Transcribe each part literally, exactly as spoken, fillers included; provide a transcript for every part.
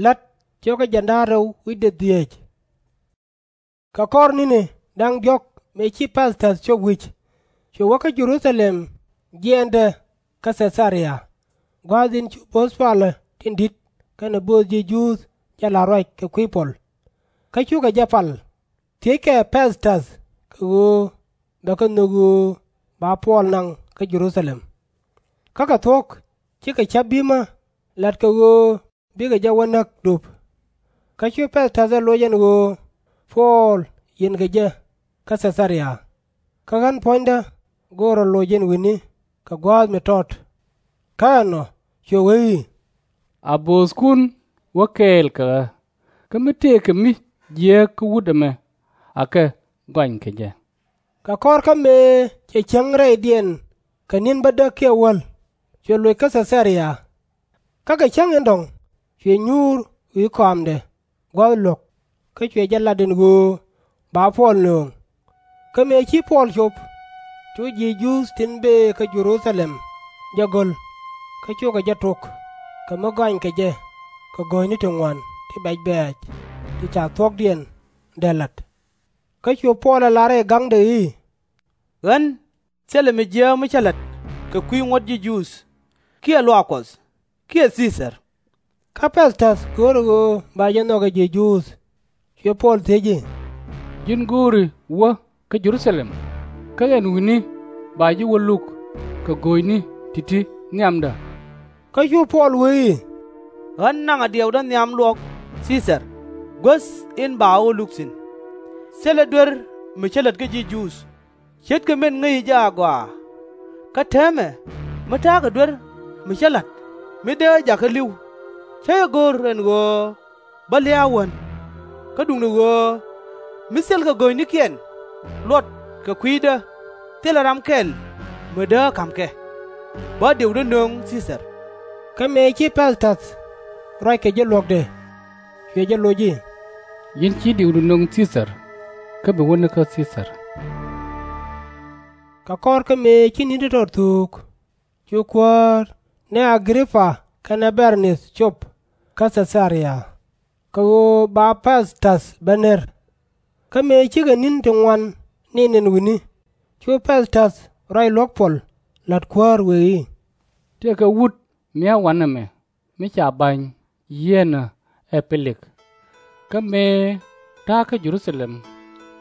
La̱t cio̱kä jiɛn da̱ŋ rɛw wi̱cdɛ dhieec. Kɛ kɔr ni̱ni da̱ŋ diɔ̱k mëë ci Pɛ̈th-täth cop wi̱c, cuɛ wä kä Jɛ-ru-tha-lɛm jiɛɛndɛ kä Thɛ-tha-ria, gua̱a̱th in cu bo̱o̱th palä tin di̱t kɛnɛ bööth ji̱ Juudh jɛ la̱r ruac kɛ kui̱ Puɔl. Kä cukɛ jɛ pal, thiëckɛ Pɛ̈th-täth kɛ ɣöö bɛ kɛ nhök ɣöö ba Puɔl naŋ kä Jɛ-ru-tha-lɛm. Kä kɛ thuɔ̱k, cikɛ ca̱p bi̱mä la̱t kɛ ɣöö bikɛ jɛ wä näk dup. Kä cu Pɛ̈th-täth ɛ loc ɛn ɣöö Puɔl yinkɛ jɛ kä Thɛ-tha-ria. Kä ɣän puɔ̱nydä go̱o̱rɛ loc in wi̱ni kɛ gua̱a̱th mi tɔt. Kä ɛnɔ cuɛ wee i̱, A bööthkun wä kɛɛl kɛ ɣä, kä mi tëëkɛ mi jiääk kä wut ɛmɛ, akɛ gɔny kɛ jɛ. Kɛ kɔr kä mëë cɛ cäŋ rɛydiɛn kɛ ni̱n bädäk kiɛ wäl, cuɛ loc kä Thɛ-tha-ria. Kä kɛ cäŋ in dɔ̱ŋ cuɛ nyuur wi̱i̱ kɔamdɛ gua̱th luɔ̱k, kä cuɛ jɛ lat ɛn ɣöö ba Puɔl nööŋ. Kä mëë ci Puɔl cop, cu ji̱ Juudh tin bëë kä Jɛ-ru-tha-lɛm jɛ go̱l, kä cukɛ jɛ tok kɛ mi gɔanykɛ jɛ kɛ go̱o̱nyni ti ŋuan ti bɛc bɛ̈ɛ̈c ti ca thuɔ̱kdiɛn dee la̱t. Kä cu Puɔl ɛ lar rɛy ga̱ŋdɛ i̱, Ɣän thilɛ mi jiääk mi cä la̱t kɛ kui̱ ŋuɔ̱t ji̱ Juudh, kiɛ luaak Kuɔth, kiɛ Thii-thar. Kä Pɛ̈th-täth köörɛ ɣöö ba jɛ nhɔk ɛ ji̱ Juudh, cuɛ Puɔl thiec i̱, Ji̱n go̱o̱ri wä kä Jɛ-ru-tha-lɛm, kä ɛn wi̱ni ba ji̱ wä luk kɛ go̱o̱nyni ti̱ti̱ nhiamdä? Kä cu Puɔl wee i̱, Ɣän naŋɛ diɛwdä nhiam luɔ̱k Thii-thar guäth in ba ɣä wä luk thi̱n. Thilɛ duer mi cä lät kä ji̱ Juudh, ce̱tkɛ min ŋäci jɛ agɔaa. Kä täämɛ, mi ta̱a̱kɛ duer mi cä la̱t mi dee jakä li̱w, cä jɛ go̱r ɛn ɣöö bä lia̱a̱ wän. Kä duundɛ ɣöö mi thilkɛ go̱o̱nynikiɛn luɔt kɛ kui̱dä, thilɛ ram kɛl mi dee ka̱m kɛ. Bä diɛwdä nöŋ Thii-thar. Kä mëë ci Pɛ̈th-täth ruac kɛ ji̱ luɔ̱kdɛ, cuɛ jɛ loc i̱, Ji̱n ci diɛwdu nöŋ Thii-thar, kä bi wä ni kä Thii-thar. Kɛ kɔr kä mëë ci ni̱n ti tɔt thuuk, cu kuäär ni A-gri-pa kɛnɛ Bɛr-nith cop kä Thɛ-tha-ria, kɛ ɣöö ba Pɛ̈th-täth ben ner. Kä mëë cikɛ ni̱n ti ŋuan ni̱n ɛn wi̱ni, cu Pɛ̈th-täth ruac luäk Puɔl la̱t kuäär wëë i̱, Tëëkɛ wut mi a wanɛ mɛ, mi ca ba̱ny yieenä ɛ Pi-lik. Kä mëë ta̱a̱ kä Jɛ-ru-tha-lɛm,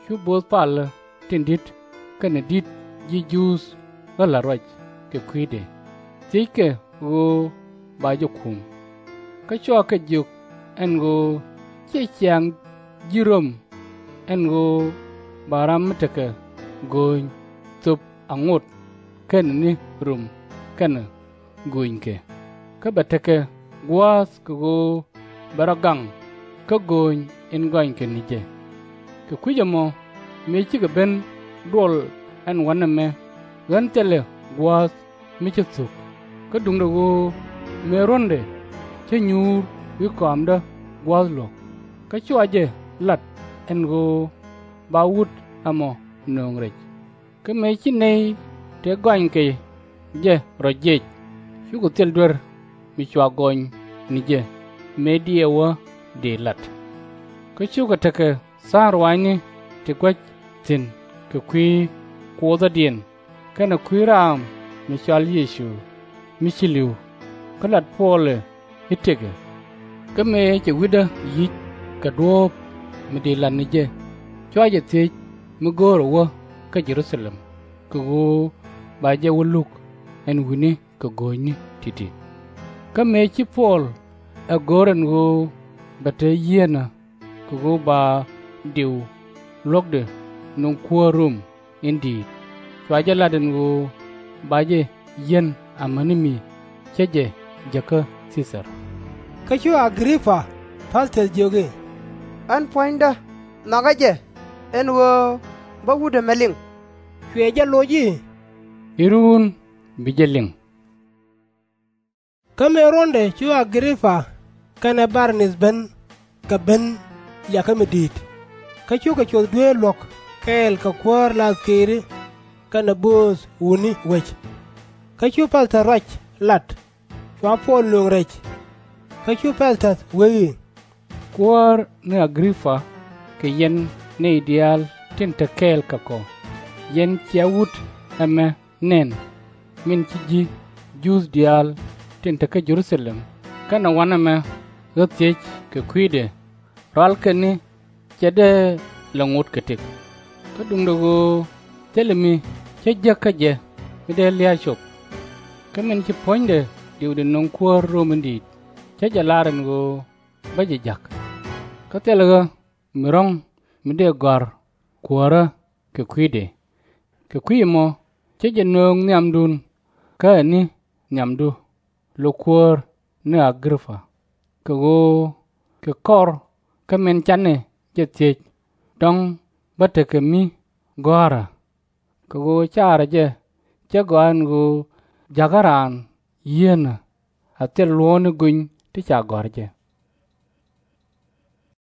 cu bo̱o̱th palä tin di̱t kɛnɛ di̱t ji̱ Juudh ɣä la̱r ruac kɛ kui̱dɛ, thiëckɛ ɣöö ba jɛ kum. Kä cua kɛ jiök ɛn ɣöö /ciɛ ciaŋ ji̱ Röm ɛn ɣöö ba ram mi tekɛ go̱o̱ny thöp aŋot kɛnɛ ni rum kɛnɛ go̱o̱nykɛ, kä bɛ tekɛ gua̱a̱th kɛ ɣöö bɛ rɔ gaŋ kä go̱o̱ny in gɔnykɛ ni jɛ. Kɛ kui̱c ɛmɔ, mëë cikɛ ben duɔl ɛn wanɛ mɛ, ɣän thilɛ gua̱a̱th mi cä thuk. Kä duundɛ ɣöö mëë ruɔ̱ndɛ cä nyuur wi̱i̱ kɔamdä gua̱a̱th luɔ̱k, kä cua jɛ lat ɛn ɣöö ba wut ɛmɔ nööŋ rɛc. Kä mëë ci nɛy tëë gɔnykɛ jɛ rɔ jiɛc, cukɛ thil duer mi cua gɔny ni jɛ mëë diɛwä dëë lat. Kä cukɛ tekɛ tha̱a̱ŋ ruaacni ti gua̱c thi̱n kɛ kui̱ Kuoothädiɛn kɛnɛ kui̱ raam mi cɔal Yecu mi ci li̱w, kä lat Puɔlɛ i̱ tëkɛ. Kä mëë cɛ wi̱cdä yi̱c kɛ duɔ̱ɔ̱p mi dëë lat ni jɛ, cua jɛ thiec mi go̱o̱rɛ wä kä Jɛ-ru-tha-lɛm kɛ ɣöö ba jɛ wä luk ɛn wi̱ni kɛ go̱o̱nyni ti̱ti̱. Kä mëë ci Puɔl ɛ go̱r ɛn ɣöö bɛ te yieenä kɛ ɣöö ba diw luɔ̱kdɛ nöŋ kuäär Röm in di̱i̱t, cua jɛ lat ɛn ɣöö ba jɛ yi̱n amäni mi cä jɛ jäkä Thii-thar. Kä cu A-gri-pa Pɛ̈th-täth jiök i̱, Ɣän puɔ̱nydä nhɔakɛ jɛ ɛn ɣöö bä wut ɛmɛ liŋ. Cuɛ jɛ loc i̱, I̱ ruun bi jɛ liŋ. Kä mëë ruɔ̱ndɛ cu A-gri-pa kɛnɛ Bɛr-nith ben kɛ ben liakä mi di̱i̱t, kä cukɛ cuɔth dueer luɔ̱k kɛɛl kɛ kuäär la̱th këëri kɛnɛ bööth wutni wec. Kä cu Pɛ̈th-täth ruac lat, cua Puɔl nööŋ rɛc. Kä cu Pɛ̈th-täth wee i̱, Kuäär ni A-gri-pa kɛ yɛn nɛy diaal tin te kɛɛl kɛ kɔ, yɛn cia wut ɛmɛ nɛn, min ci ji̱ Juudh diaal tin te kä Jɛ-ru-tha-lɛm kɛnɛ wanɛ mɛ ɣä thiec kɛ kui̱dɛ, rualkɛ ni /cɛ dee lɛ ŋot kɛ tëk. Kä duundɛ ɣöö thilɛ mi cä jek kä jɛ mi dee lia̱a̱ cop. Kä min ci puɔ̱nydɛ diwdɛ nöŋ kuäär Rom in di̱i̱t, cä jɛ lar ɛn ɣöö bä jɛ ja̱k. Kä thilɛ ɣä mi ro̱ŋ mi dee gɔ̱a̱r kuäärä kɛ kui̱dɛ. Kɛ kui̱ ɛmɔ cä jɛ nööŋ nhiamdun, kä ɛ ni nhiamdu, lo kuäär ni A-gri-pa, kɛ ɣöö kɛ kɔr kä min canɛ jɛ thiec, dɔ̱ŋ bä tekɛ mi gɔ̱a̱rä. Kɛ ɣöö caarä jɛ cä gɔaa ɛn ɣöö jakä raan yieenä a thil luɔ̱ɔ̱ni gony ti ca gɔ̱a̱r jɛ.